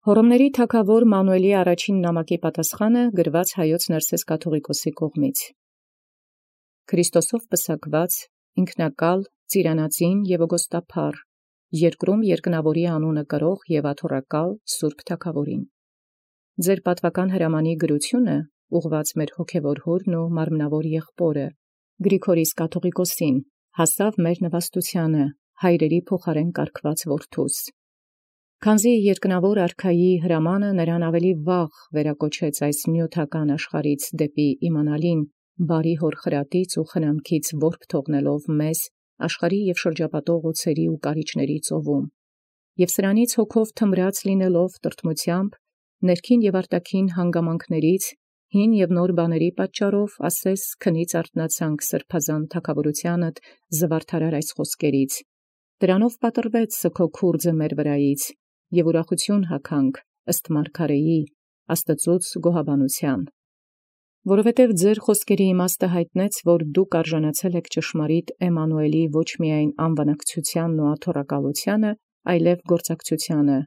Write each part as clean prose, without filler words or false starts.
Հոռոմների թագաւոր Մանուէլի առաջին նամակի պատասխանը գրված Հայոց Ներսես կաթուղիկոսի կողմից։ Քրիստոսով պսակված, ինքնակալ, ծիրանածին և ոգոստափառ, երկրում երկնաւորի անունը կրող և աթոռակալ սուրբ թագաւորին։ Ձեր պատվական հրամանի գրությունը ուղղված մեր հոգևոր հորն ու մարմնավոր եղբորը Գրիգորիս կաթուղիկոսին հասավ մեր նվաստութեանը հայրերի փոխարեն կարգված որդուս։ Քանզի երկնավոր արքայի հրամանը նրան ավելի վաղ վերակոչեց այս նյութական աշխարհից դեպի իմանալին բարի հոր խրատից ու խնամքից որբ թողնելով մեզ աշխարհի և շրջապատող օցերի ու կարիճների ծովում, և սրանից հոգով թմրած լինելով տրտմությամբ, ներքին և արտաքին հանգամանքներից, հին և նոր բաների պատճառով ասես քնից արթնացանք սրբազան թագավորությանդ զվարթարար այս խոսքերից, դրանով պատռվեց սգո քուրձը մեր վրայից, և ուրախութիւն հագանք ըստ մարգարեի Աստծուց գոհաբանութեան։ Որովհետև ձեր խոսքերի իմաստը յայտնեց, որ դուք արժանացել եք ճշմարիտ Էմմանուէլի ոչ միայն անվանակցութեանն ու աթոռակալութեանը, այլև գործակցութեանը,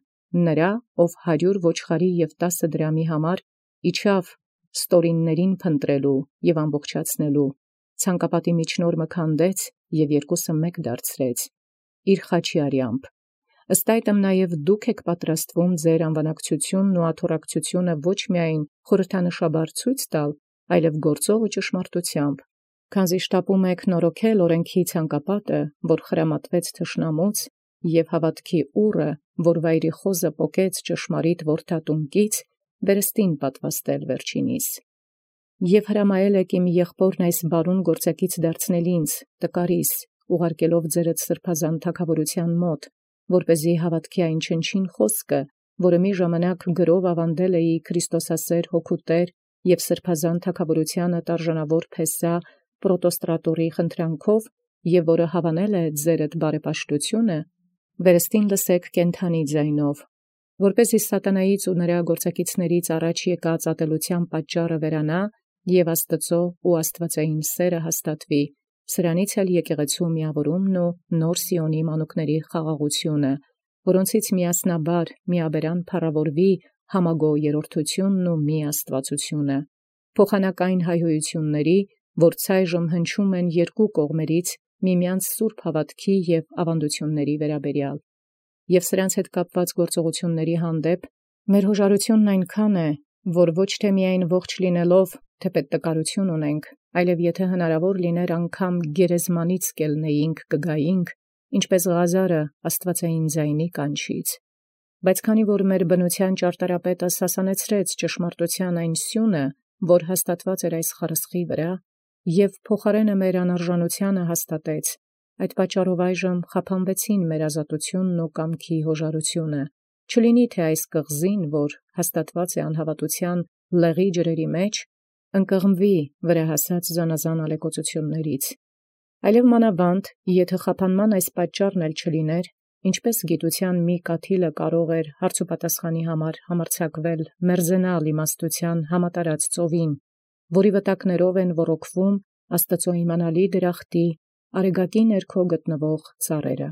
նրա, ով 100 ոչխարի և 10 դրամի համար իջավ ստորիններին փնտրելու և ամբողջացնելու, ցանկապատի միջնորմը քանդեց և երկուսը մեկ դարձրեց, իր խաչի արյամբ։ Ըստ այդմ նաև դուք եք պատրաստվում ձեր անվանակցութիւնն ու աթոռակցութիւնը ոչ միայն խորհրդանշաբար ցույց տալ, այլև գործով ու ճշմարտութեամբ, քանզի շտապում եք նորոգել օրենքի ցանկապատը, որ խրամատվեց թշնամուց, և հաւատքի ուռը, որ վայրի խոզը պոկեց ճշմարիտ որդատունկից, վերստին պատվաստել վերջինիս։ Եւ հրամայել եք իմ եղբորն այս բարուն գործակից դարձնել ինձ, տկարիս, ուղարկելով ձերդ սրբազան թագաւորութեան մոտ, որպեսզի հաւատքի այն չնչին խոսքը, որը մի ժամանակ գրով աւանդել էի Քրիստոսասեր հոգու Տեր և սրբազան թագաւորութեանը արժանավոր փեսա պրոտոստրատորի խնդրանքով, և որը հաւանել է ձերդ բարեպաշտութիւնը, վերստին լսեք կենդանի ձայնով, որպեսզի սատանայից ու նրա գործակիցներից առաջ եկած ատելութեան պատճառը վերանա, և Աստուծոյ ու աստուածային սերը հաստատվի, սրանից էլ եկեղեցու միավորումն ու նոր Սիոնի մանուկների խաղաղութիւնը, որոնցից միասնաբար միաբերան փառաւորվի համագոյ երրորդութիւնն ու մի աստուածութիւնը, փոխանակ այն հայհոյութիւնների, որ ցայժմ հնչում են երկու կողմերից միմյանց սուրբ հաւատքի և աւանդութիւնների վերաբերյալ։ Եւ սրանց հետ կապված գործողությունների հանդեպ մեր հոժարութիւնն այնքան է, որ ոչ թե միայն ողջ լինելով թեպետ տկարութիւն ունենք, այլև եթե հնարավոր լիներ անգամ գերեզմանից կելնեինք կգայինք, ինչպես Ղազարը աստուածային ձայնի կանչից։ Բայց քանի որ մեր բնութեան ճարտարապետը սասանեցրեց ճշմարտութեան այն սյունը, որ հաստատված էր այս խարսխի վրա, և փոխարենը մեր անարժանութեանը հաստատեց, այդ պատճառով այժմ խափանվեցին մեր ազատութիւնն ու կամքի հոժարութիւնը, չլինի թե այս կղզին, որ հաստատված է անհավատութեան լեղի ջրերի մեջ, ընկղմվի վրահասած զանազան ալեկոծութիւններից, այլև մանավանդ, եթե խափանման այս պատճառն էլ չլիներ, ինչպես գիտութեան մի կաթիլը կարող էր հարցուպատասխանի համար համարձակվել մերձենալ իմաստութեան համատարած ծովին, որի վտակներով են ոռոգվում Աստուծոյ իմանալի դրախտի արեգակի ներքո գտնվող ծառերը։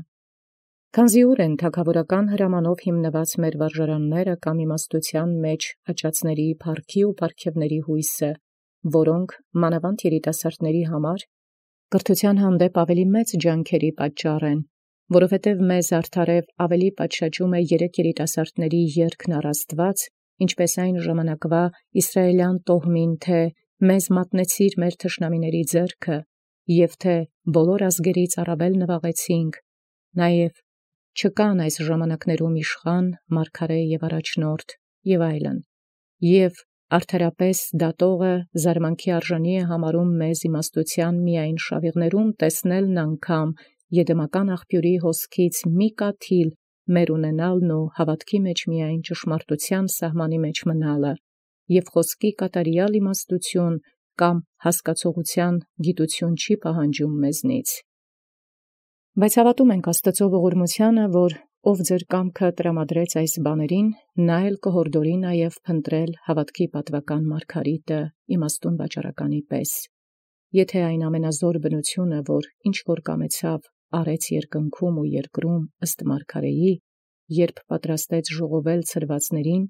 Քանզի ուր են թագաւորական հրամանով հիմնված մեր վարժարանները կամ իմաստութեան մեջ աճածների փառքի ու պարգևների հույսը, որոնք մանավանդ երիտասարդների համար կրթութեան հանդեպ ավելի մեծ ջանքերի պատճառ են, որովհետև մեզ արդարև ավելի պատշաճում է երեք երիտասարդների երգն առ Աստուած, ինչպես այն ժամանակվա իսրայելյան տոհմին, թե մեզ մատնեցիր մեր թշնամիների ձեռքը, և թե բոլոր ազգերից առավել նվաղեցինք, նաև չկան այս ժամանակներում իշխան, մարգարե և առաջնորդ և այլն, և արդարապես դատողը զարմանքի արժանի է համարում մեզ իմաստութեան միայն շավիղներում տեսնելն անգամ եդեմական աղբիւրի հոսքից մի կաթիլ մեր ունենալն ու հաւատքի մեջ միայն ճշմարտութեան սահմանի մեջ մնալը, և խոսքի կատարյալ իմաստութիւն կամ հասկացողութեան գիտութիւն չի պահանջում մեզնից։ Բայց հաւատում ենք Աստուծոյ ողորմութեանը, որ ով ձեր կամքը տրամադրեց այս բաներին, նա էլ կհորդորի նաև փնտրել հաւատքի պատվական մարգարիտը իմաստուն վաճառականի պես։ Եթե այն ամենազոր բնությունը, որ ինչ որ կամեցավ, արեց երկնքում ու երկրում ըստ մարգարեի, երբ պատրաստեց ժողովել ցրվածներին,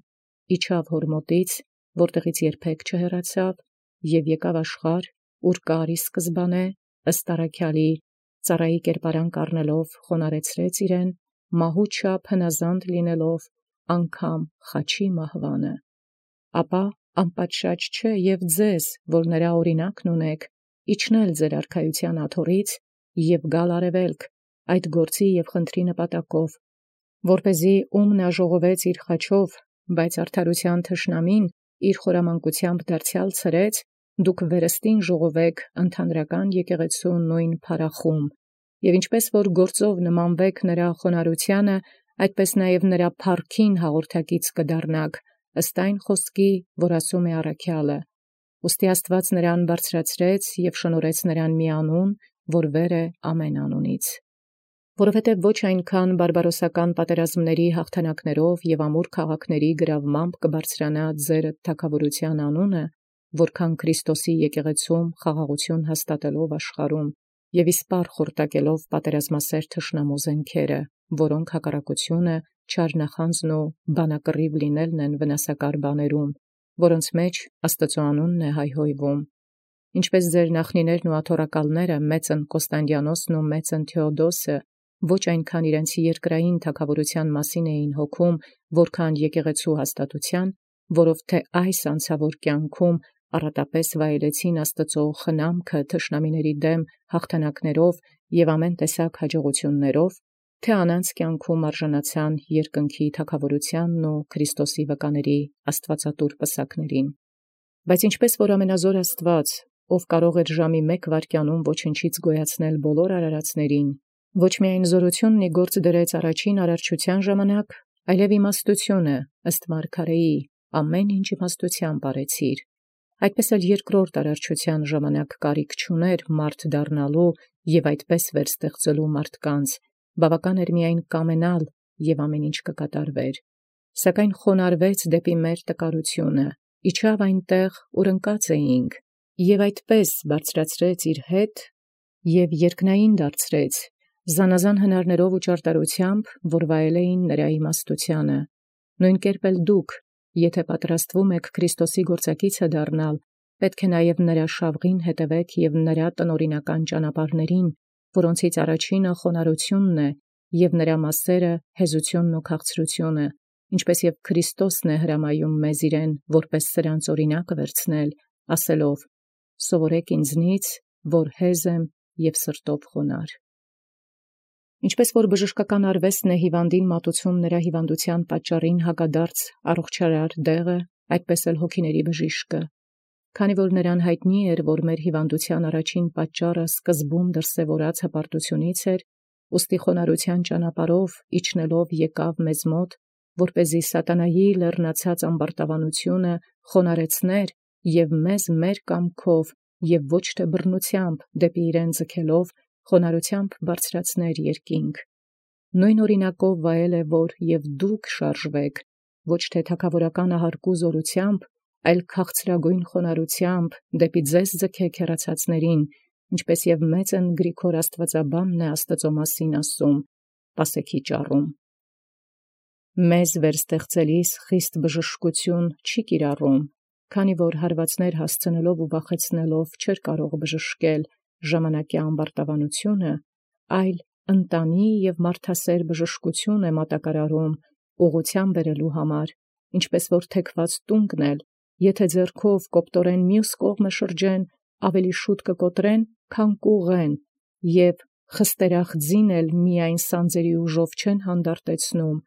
իջավ հորմոտից, որտեղից երբեք չհեռացավ, եւ եկավ աշխարհ, ուր կարի սկզբանե, ըստ առաքյալի, ծառայի կերպարանք առնելով խոնարեցրեց իրեն, մահու չափ հնազանդ լինելով, անգամ խաչի մահվանը։ Ապա անպատշաճ չէ եւ ձեզ, որ նրա օրինակն ունեք, իջնել ձեր արքայության աթոռից եւ գալ արևելք, այդ գործի եւ խնդրի նպատակով, որպեսզի ում նա ժողովեց իր խաչով, բայց արդարության թշնամին իր խորամանկությամբ դարձյալ ցրեց, դուք վերստին ժողովեք ընդհանրական եկեղեցու նույն փառախում, եւ ինչպես որ գործով նմանվեք նրա խոնարհությանը, այդպես նաև նրա փառքին հաղորդակից կդառնաք, ըստ այն խոսքի, որ ասում է առաքյալը. ուստի Աստված նրան բարձրացրեց եւ շնորհեց նրան մի անուն, որ վեր է ամեն անունից։ Որովհետև ոչ այնքան բարբարոսական պատերազմների հաղթանակներով եւ ամուր քաղաքների գրավմամբ կբարձրանա ձեր թագավորության անունը, որքան Քրիստոսի եկեղեցում խաղաղություն հաստատելով աշխարհում եւ իսպառ խորտակելով պատերազմասեր թշնամու զենքերը, որոնք հակառակությունը, չարնախանձն ու բանակռիվ լինելն են վնասակար բաներում, որոնց մեջ Աստծո անունն է հայհոյվում։ Ինչպես ձեր նախնիներն ու աթոռակալները մեծն Կոստանդիանոսն ու մեծն Թեոդոսը ոչ այնքան իրենց երկրային թագավորության մասին էին հոգում, որքան եկեղեցու հաստատության, որով թե այս անցավոր կյանքում առատապես վայելեցին Աստծո խնամքը թշնամիների դեմ հաղթանակներով եւ ամեն տեսակ հաջողություններով, թե անանց կյանքում արժանացան երկնքի թագավորությանն ու Քրիստոսի վկաների աստվածատուր պսակներին։ Բայց ինչպես որ ամենազոր Աստված, ով կարող էր ժամի մեկ վայրկյանում ոչնչից գոյացնել բոլոր արարածներին, ոչ միայն զորությունն ի գործ դրեց առաջին արարչության ժամանակ, այլև իմաստությունը, ըստ մարգարեի, ամեն ինչ իմաստությամբ արեցիր։ Այդպես էլ երկրորդ արարչության ժամանակ կարիք չուներ մարդ դառնալու եւ այդպես վերստեղծելու մարդկանց, բավական էր միայն կամենալ եւ ամեն ինչ կկատարվեր։ Սակայն խոնարհվեց դեպի մեր տկարությունը, իջավ այնտեղ, ուր ընկած էինք, եւ այդպես բարձրացրեց իր հետ եւ երկնային դարձրեց, զանազան հնարներով ու ճարտարությամբ, որ վայել էին նրա իմաստությանը։ Նույն կերպ էլ դուք, եթե պատրաստվում եք Քրիստոսի գործակիցը դառնալ, պետք է նաև նրա շավղին հետևեք եւ նրա տնօրինական ճանապարհներին, որոնցից առաջինը խոնարհությունն է եւ նրա մասերը հեզությունն ու քաղցրությունը, ինչպես եւ Քրիստոսն է հրամայում մեզ իրեն որպես սրանց օրինակ վերցնել, ասելով. «Սովորեք ինձնից, որ հեզ եմ եւ սրտով խոնարհ»։ Ինչպես որ բժշկական արվեստն է հիվանդին մատուցում նրա հիվանդության պատճառին հակադարձ առողջարար դեղը, այդպես էլ հոգիների բժիշկը։ Քանի որ նրան հայտնի էր, որ մեր հիվանդության առաջին պատճառը սկզբում դրսևորած հպարտությունից էր, ուստի խոնարհության ճանապարհով իջնելով եկավ մեզ մոտ, որպեսզի սատանայի լեռնացած ամբարտավանությունը խոնարհեցներ եւ մեզ մեր կամքով եւ ոչ թե բռնությամբ դեպի իրեն ձգելով խոնարհությամբ բարձրացներ երկինք։ Նույն օրինակով վայել է, որ եւ դուք շարժվեք, ոչ թե թագավորական ահարկու զորությամբ, այլ քաղցրագույն խոնարհությամբ դեպի ձեզ ձգեք հեռացածներին, ինչպես եւ մեծն Գրիգոր Աստվածաբանն է Աստծո մասին ասում, պասեքի ճառում. մեզ վերստեղծելիս խիստ բժշկություն չի կիրառում, քանի որ հարվածներ հասցնելով ու վախեցնելով չէր կարող բժշկել ժամանակի ամբարտավանությունը, այլ ընտանի եւ մարդասեր բժշկություն է մատակարարում ուղղության բերելու համար, ինչպես որ թեքված տունկն էլ, եթե ձեռքով կոպտորեն մյուս կողմը շրջեն, ավելի շուտ կկոտրեն, քան կուղեն, եւ խստերախձին էլ միայն սանձերի ուժով չեն հանդարտեցնում,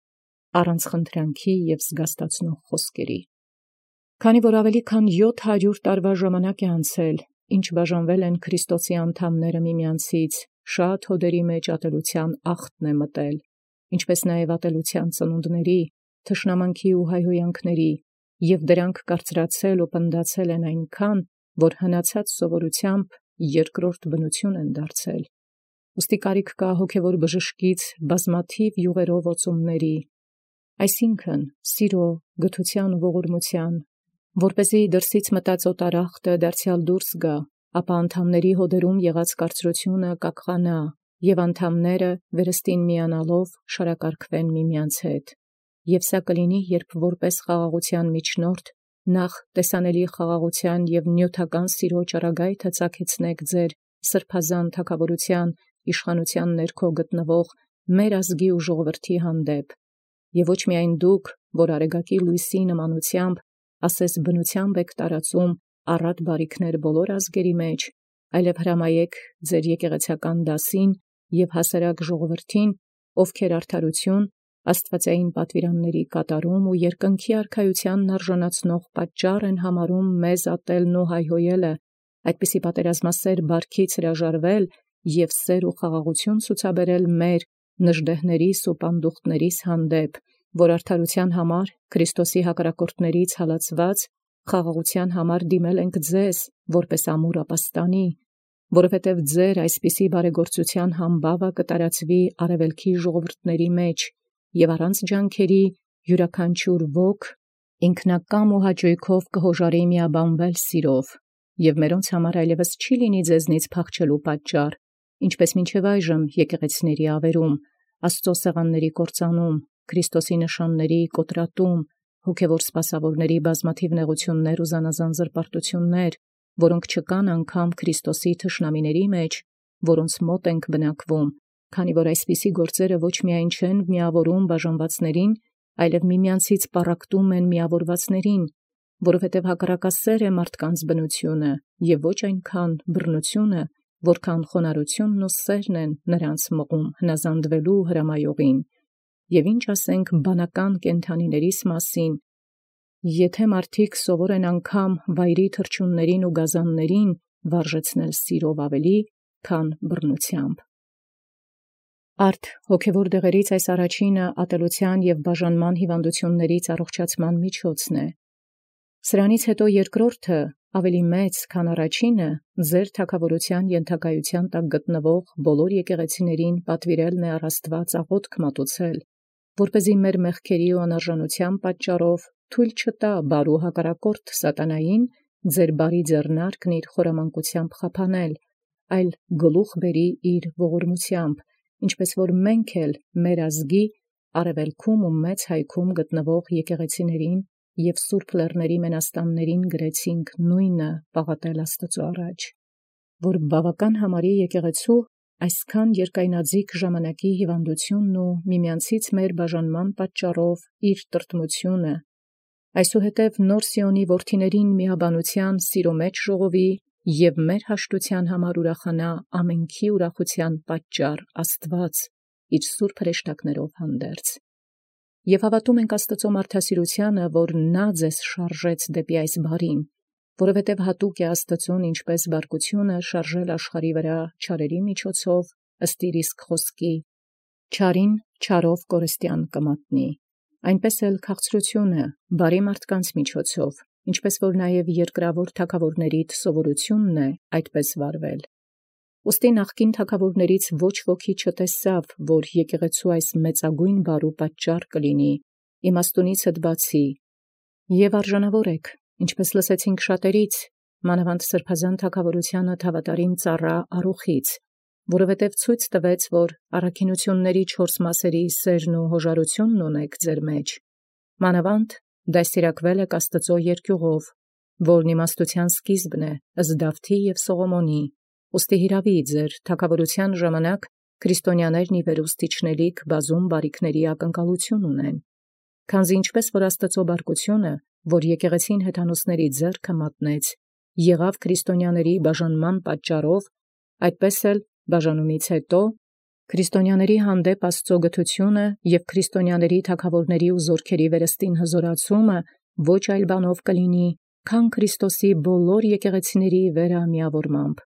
առանց խնդրանքի եւ զգաստացնող խոսքերի։ Քանի որ ավելի քան 700 տարվա ժամանակ է անցել, ինչ բաժանվել են Քրիստոսի անդամները միմյանցից, շատ հոդերի մեջ ատելության ախտն է մտել, ինչպես նաև ատելության ծնունդների, թշնամանքի ու հայհոյանքների, եւ դրանք կարծրացել ու պնդացել են այնքան, որ հնացած սովորությամբ երկրորդ բնություն են դարձել։ Ուստի կարիք կա հոգևոր բժշկից բազմաթիվ յուղերով օծումների, այսինքն սիրո, գթության ու ողորմության, որպեսզի դրսից մտած օտարախտը դարձյալ դուրս գա, ապա անդամների հոդերում եղած կարծրությունը կակղանա, Եւ անդամները վերստին միանալով շարակարգվեն միմյանց հետ։ Եւ սա կլինի, երբ որպես խաղաղության միջնորդ նախ տեսանելի խաղաղության եւ նյութական սիրո ճառագայթը ցակեցնեք ձեր սրբազան թագավորության իշխանության ներքո գտնվող մեր ազգի ու ժողովրդի հանդեպ, եւ ոչ միայն դուք, որ արեգակի լույսի նմանությամբ, ասես բնությամբ եք տարածում առատ բարիքներ բոլոր ազգերի մեջ, այլև հրամայեք ձեր եկեղեցական դասին եւ հասարակ ժողովրդին, ովքեր արդարություն, աստվածային պատվիրանների կատարում ու երկնքի արքայությանն արժանացնող պատճառ են համարում մեզ ատելն ու հայհոյելը, այդպիսի պատերազմասեր բարքից հրաժարվել եւ սեր ու խաղաղություն ցուցաբերել մեր նժդեհներիս ու պանդուխտներիս հանդեպ, որ արդարության համար Քրիստոսի հակառակորդներից հալածված խաղաղության համար դիմել ենք ձեզ, որպես ամուր ապաստանի, որովհետև ձեր այսպիսի բարեգործության համբավը կտարածվի արևելքի ժողովուրդների մեջ, եւ առանց ջանքերի յուրաքանչյուր ոք ինքնակամ ու հաճույքով կհոժարի միաբանվել սիրով, եւ մերոնց համար այլևս չի լինի ձեզնից փախչելու պատճառ, ինչպես մինչև այժմ եկեղեցիների ավերում, Աստծո սեղանների կործանում, Քրիստոսի նշանների կոտրատում, հոգևոր սպասավորների բազմաթիվ նեղություններ ու զանազան զրպարտություններ, որոնք չկան անգամ Քրիստոսի թշնամիների մեջ, որոնց մոտ ենք բնակվում, քանի որ այսպիսի գործերը ոչ միայն չեն միավորում բաժանվածներին, այլև միմյանցից պառակտում են միավորվածներին, որովհետև հակառակասեր է մարդկանց բնությունը եւ ոչ այնքան բռնությունը, որքան խոնարհությունն ու սերն են նրանց մղում հնազանդվելու հրամայողին, եւ ինչ ասենք բանական կենդանիներիս մասին, եթե մարդիկ սովոր են անգամ վայրի թռչուններին ու գազաններին վարժեցնել սիրով ավելի, քան բռնությամբ։ Արդ հոգևոր դեղերից այս առաջինը ատելության եւ բաժանման հիվանդություններից առողջացման միջոցն է։ Սրանից հետո երկրորդը ավելի մեծ, քան առաջինը, ձեր թագավորության ենթակայության տակ գտնվող բոլոր եկեղեցիներին պատվիրելն է առ Աստված աղոթք մատուցել, որպեսզի մեր մեղքերի ու անարժանության պատճառով թույլ չտա բարու հակառակորդ սատանային ձեր բարի ձեռնարկն իր խորամանկությամբ խափանել, այլ գլուխ բերի իր ողորմությամբ, ինչպես որ մենք էլ մեր ազգի արևելքում ու մեծ հայքում գտնվող եկեղեցիներին եւ սուրբ լեռների մենաստաններին գրեցինք նույնը պաղատել Աստծո առաջ, որ բավական համարի եկեղեցու այսքան երկայնաձիգ ժամանակի հիվանդությունն ու միմյանցից մեր բաժանման պատճառով իր տրտմությունը, այսուհետև նոր Սիոնի որդիներին միաբանության սիրո մեջ ժողովի եւ մեր հաշտության համար ուրախանա ամենքի ուրախության պատճառ Աստված իր սուրբ հրեշտակներով հանդերձ։ Եվ հավատում ենք Աստծո մարդասիրությանը, որ նա ձեզ շարժեց դեպի այս բարին, որովհետև հատուկ է Աստծուն ինչպես բարկությունը շարժել աշխարհի վրա չարերի միջոցով ըստ իր իսկ խոսքի, չարին չարով կորստյան կմատնի, այնպես էլ քաղցրությունը բարի մարդկանց միջոցով, ինչպես որ նաև երկրավոր թագավորներիդ սովորությունն է այդպես վարվել։ Ուստի նախկին թագավորներից ոչ ոքի չտեսավ, որ եկեղեցու այս մեծագույն բարու պատճառ կլինի, իմաստունից բացի, եւ արժանավոր եք, ինչպես լսեցինք շատերից, մանավանդ սրբազան թագավորությանը թավատարիմ ծառա Արուխից, որովհետև ցույց տվեց, որ առաքինությունների 4 մասերի սերն ու հոժարությունն ունեք ձեր մեջ, մանավանդ դաստիարակվել եք Աստծո երկյուղով, որն իմաստության սկիզբն է, ըստ Դավթի եւ Սողոմոնի, ուստի հիրավի ձեր թագավորության ժամանակ քրիստոնյաներն ի վերուստիչնելիք բազում բարիքների ակնկալություն ունեն, քանզի ինչպես որ Աստծո բարկությունը, որ եկեղեցին հեթանոսների ձեռքը մատնեց, եղավ քրիստոնյաների բաժանման պատճառով, այդպես էլ բաժանումից հետո քրիստոնյաների հանդեպ Աստծո գթությունը եւ քրիստոնյաների թագավորների ու զորքերի վերստին հզորացումը ոչ այլ բանով կլինի, քան Քրիստոսի բոլոր եկեղեցիների վերամիավորմամբ,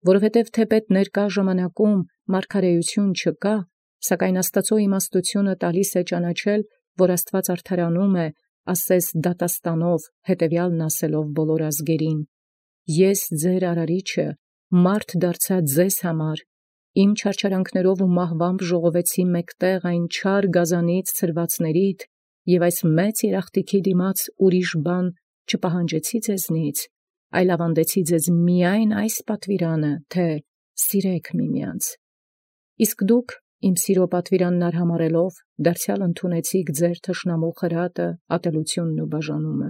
որովհետև թեպետ ներկա ժամանակում մարգարեություն չկա, սակայն Աստծո իմաստությունը տալիս է ճանաչել, որ Աստված արդարանում է, ասես դատաստանով, հետևյալն ասելով բոլոր ազգերին. Ես ձեր արարիչը, մարդ դարձա ձեզ համար, իմ չարչարանքներով ու մահվամբ ժողովեցի մեկտեղ այն չար գազանից ցրվածներիդ, եւ այս մեծ երախտիքի դիմաց ուրիշ բան չպահանջեցի ձեզնից, այլ ավանդեցի ձեզ միայն այս պատվիրանը, թե սիրեք միմյանց։ Իսկ դուք իմ սիրո պատվիրանն արհամարելով դարձյալ ընդունեցիք ձեր թշնամու խրատը, ատելությունն ու բաժանումը։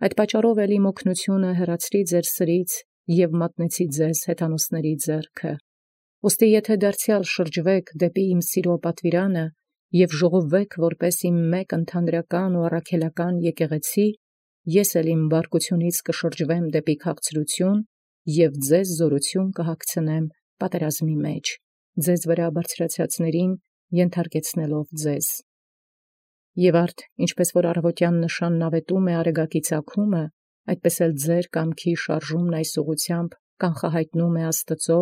Այդ պատճառով էլի մոգնությունը հեռացրի ձեր սրից և մատնեցի ձեզ հեթանոսների ձեռքը։ Ուստի եթե դարձյալ շրջվեք դեպի իմ սիրո պատվիրանը և ժողովվեք որպես իմ մեկ ընդհանրական ու առաքելական եկեղեցի, ես էլ իմ բարկությունից կշրջվեմ դեպի քաղցրություն և ձեզ զորություն կհագցնեմ պատերազմի մեջ, ձեզ վրա բարձրացածներին ենթարկեցնելով ձեզ։ Եվ արդ, ինչպես որ առավոտյան նշանն ավետում է արեգակի ծագումը, այդպես էլ ձեր կամքի շարժումն այս ուղղությամբ կանխահայտնում է Աստծո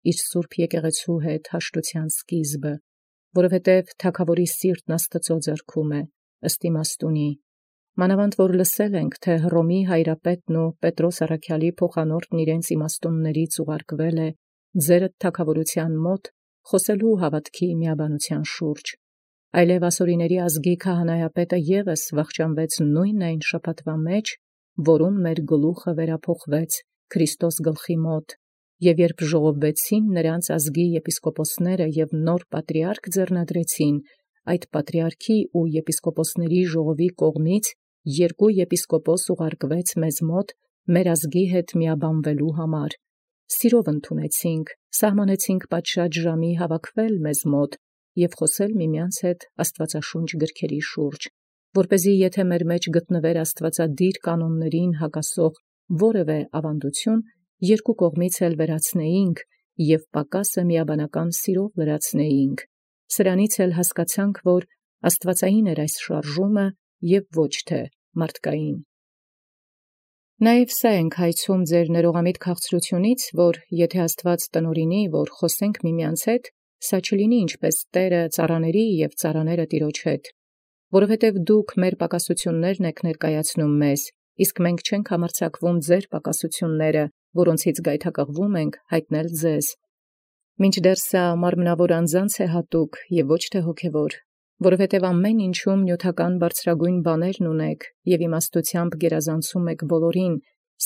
իր սուրբ եկեղեցու հետ հաշտության սկիզբը, որովհետև թագավորի սիրտն Աստծո ձեռքում է, ըստ իմաստունի։ Մանավանդ որ լսել ենք, թե Հռոմի հայրապետն ու Պետրոս առաքյալի փոխանորդն իրենց իմաստուններից ուղարկվել է ձերդ թագավորության մոտ խոսելու հավատքի միաբանության շուրջ։ Այլև ասորիների ազգի քահանայապետը ևս վախճանվեց նույն այն շաբաթվա մեջ, որում մեր գլուխը վերափոխվեց Քրիստոս գլխի մոտ, և երբ ժողովվեցին նրանց ազգի եպիսկոպոսները և նոր պատրիարք ձեռնադրեցին, այդ պատրիարքի ու եպիսկոպոսների ժողովի կողմից երկու եպիսկոպոս ուղարկվեց մեզ մոտ մեր ազգի հետ միաբանվելու համար։ Սիրով ընդունեցինք, սահմանեցինք պատշաճ ժամի հավաքվել մեզ մոտ և խոսել միմյանց հետ աստվածաշունչ գրքերի շուրջ, որպեսզի եթե մեր մեջ գտնվեր աստվածադիր կանոններին հակասող որևէ ավանդություն, երկու կողմից էլ վերացնեինք և պակասը միաբանական սիրով լրացնեինք։ Սրանից էլ հասկացանք, որ աստվածային էր այս շարժումը և ոչ թե մարդկային։ Նաև սա ենք հայցում ձեր ներողամիտ քաղցրությունից, որ եթե Աստված տնօրինի, որ խոսենք միմյանց հետ, սա չլինի ինչպես Տերը ծառաների և ծառաները Տիրոջ հետ, որովհետև դուք մեր պակասություններն եք ներկայացնում մեզ, իսկ մենք չենք համարձակվում ձեր պակասությունները, որոնցից գայթակղվում ենք, հայտնել ձեզ։ Մինչդեռ սա մարմնավոր անձանց է հատուկ և ոչ թե հոգևոր, որովհետև ամեն ինչում նյութական բարձրագույն բաներն ունեք և իմաստությամբ գերազանցում եք բոլորին,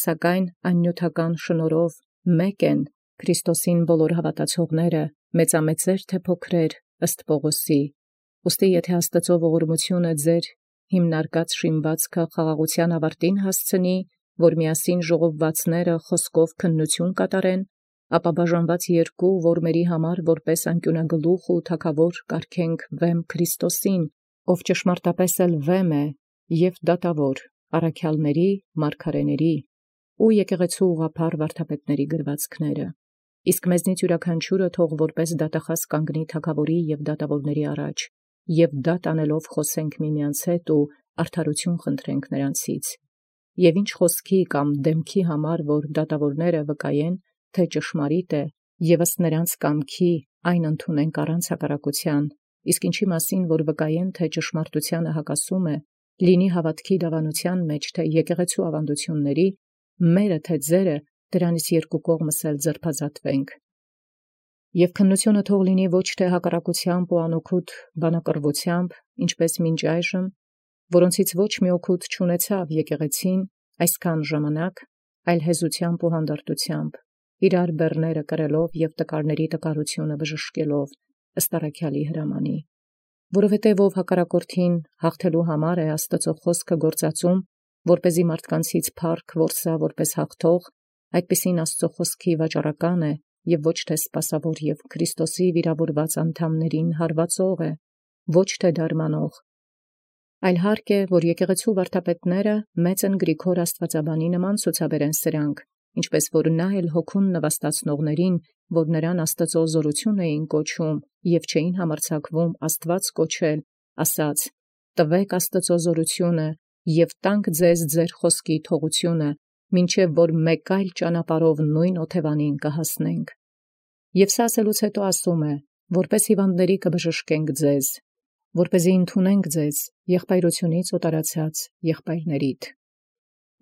սակայն աննյութական շնորհով մեկ են Քրիստոսին բոլոր հավատացողները, մեծամեծեր թե փոքրեր, ըստ Պողոսի։ Ուստի եթե Աստծո ողորմությունը ձեր հիմնարկած շինվածքը խաղաղության ավարտին հասցնի, որ միասին ժողովվածները խոսքով քննություն կատարեն, ապա բաժանված երկու որմերի համար որպես անկյունագլուխ ու թագավոր կարգենք վեմ Քրիստոսին, ով ճշմարտապես էլ վեմ է և դատավոր առաքյալների, մարգարեների ու եկեղեցու ուղղափառ վարդապետների գրվածքները։ Իսկ մեզնից յուրաքանչյուրը թող որպես դատախազ կանգնի թագավորի և դատավորների առաջ, և դատ անելով խոսենք միմյանց հետ ու արդարություն խնդրենք նրանցից։ Եվ ինչ խոսքի կամ դեմքի համար, որ դատավորները վկայեն, թե ճշմարիտ է, և ըստ նրանց կամքի այն ընդունենք առանց հակառակության, իսկ ինչի մասին, որ վկայեն, թե ճշմարտությանը հակասում է, լինի հավատքի դավանության մեջ, թե եկեղեցու ավանդությունների, մերը թե ձերը, դրանից երկու կողմս էլ ձերբազատվենք։ Եվ քննությունը թող լինի ոչ թե հակառակությամբ ու անօգուտ բանակռվությամբ, ինչպես մինչ այժմ, որոնցից ոչ մի օգուտ չունեցավ եկեղեցին այսքան ժամանակ, այլ հեզությամբ ու հանդարտությամբ, իրար բեռները կրելով և տկարների տկարությունը բժշկելով, ըստ առաքյալի հրամանի։ Որովհետև ով հակառակորդին հաղթելու համար է Աստծո խոսքը գործածում, որպեսզի մարդկանցից փառք որսա որպես հաղթող, այդպիսին Աստծո խոսքի վաճառական է և ոչ թե սպասավոր և Քրիստոսի վիրավորված անդամներին հարվածող է, ոչ թե դարմանող։ Այլ հարկ է, որ եկեղեցու վարդապետները մեծ են Գրիգոր աստվածաբանի նման ցուցաբերեն սրանք, ինչպես որ նա էլ հոգուն նվաստացնողներին, որ նրան Աստծո զորություն էին կոչում և չէին համարձակվում Աստված կոչել, ասաց. «Տվեք Աստծո զորությունը և տանք ձեզ ձեր խոսքի թողությունը, մինչև որ մեկ այլ ճանապարհով նույն օթևանին կհասնենք»։ Եվ սա ասելուց հետո ասում է. «Որպես հիվանդների կբժշկենք ձեզ, որպեսզի ընդունենք ձեզ եղբայրությունից օտարացած եղբայրներիդ։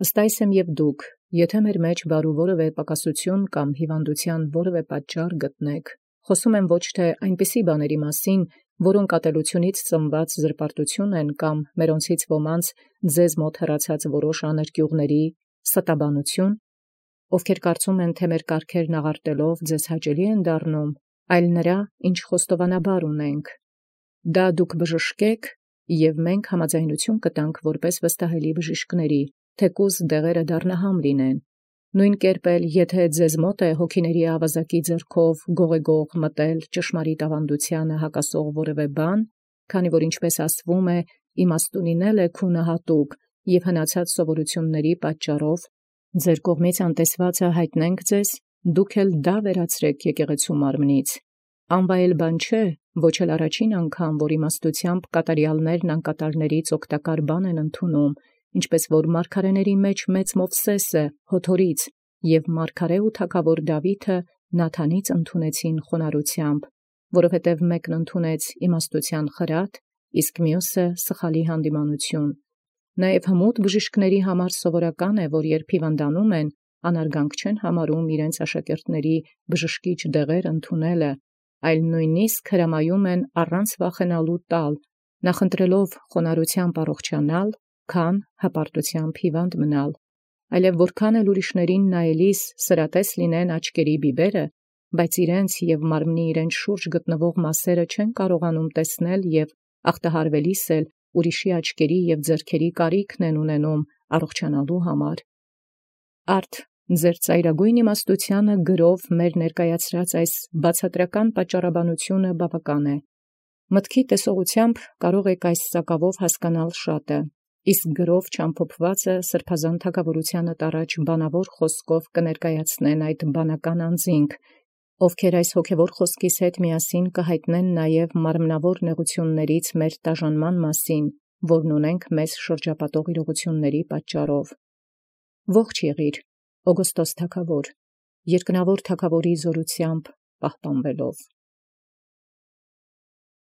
Ըստ այս եմ և դուք, եթե մեր մեջ բարու որևէ պակասություն կամ հիվանդության որևէ պատճառ գտնեք, խոսում եմ ոչ թե այնպիսի բաների մասին, որոնք ատելությունից ծնված զրպարտություն են կամ մերոնցից ոմանց ձեզ մոտ հեռացած որոշ աներկյուղների ստաբանություն, ովքեր կարծում են, թե մեր կարգերն աղարտելով ձեզ հաճելի են դառնում, այլ նրա, ինչ խոստովանաբար ունենք. դա դուք բժշկեք, և մենք համաձայնություն կտանք որպես վստահելի բժիշկների, թեկուզ դեղերը դառնահամ լինեն։ Նույն կերպ էլ, եթե ձեզ մոտ է հոգիների ավազակի ձեռքով գողեգող մտել ճշմարիտ ավանդությանը հակասող որևէ բան, քանի որ ինչպես ասվում է, իմաստունին է քունը հատուկ, և հնացած սովորութիւնների պատճառով ձեր կողմից անտեսվածը հայտնենք ձեզ, դուք էլ դա վերացրեք եկեղեցու մարմնից։ Անվայել բան չէ, ոչ էլ առաջին անգամ, որ իմաստութեամբ կատարյալներն անկատարներից օգտակար բան են ընդունում, ինչպես որ մարգարեների մեջ մեծ Մովսէսը Յոթորից և մարգարէ ու թագաւոր Դաւիթը Նաթանից ընդունեցին խոնարհությամբ, որովհետև մեկն ընդունեց իմաստութեան խրատ, իսկ մյուսը սխալի յանդիմանութիւն։ Նաև հմուտ բժիշկների համար սովորական է, որ երբ հիվանդանում են, անարգանք չեն համարում իրենց աշակերտների բժշկիչ դեղեր ընդունելը, այլ նույնիսկ հրամայում են առանց վախենալու տալ, նախընտրելով խոնարհությամբ առողջանալ, քան հպարտությամբ հիվանդ մնալ։ Այլև որքան էլ ուրիշներին նայելիս սրատես լինեն աչքերի բիբերը, բայց իրենց և մարմնի իրենց շուրջ գտնվող մասերը չեն կարողանում տեսնել և ախտահարվելիս էլ ուրիշի աչքերի և ձեռքերի կարիքն են ունենում առողջանալու համար։ Արդ ձեր ծայրագոյն իմաստութեանը գրով մեր ներկայացրած այս բացատրական պատճառաբանությունը բավական է։ Մտքի տեսողությամբ կարող եք այս սակավով հասկանալ շատը, իսկ գրով չամփոփվածը սրբազան թագաւորութեանը տառաջ բանավոր խոսքով կներկայացնեն այդ բանական անձինք, ովքեր այս հոգևոր խոսքիս հետ միասին կհայտնեն նաև մարմնավոր նեղութիւններից մեր տաժանման մասին, որն ունենք մեզ շրջապատող իրողությունների պատճառով։ Ողջ եղիր, Օգոստոս թագաւոր, երկնավոր թագաւորի զօրութեամբ պահպանվելով։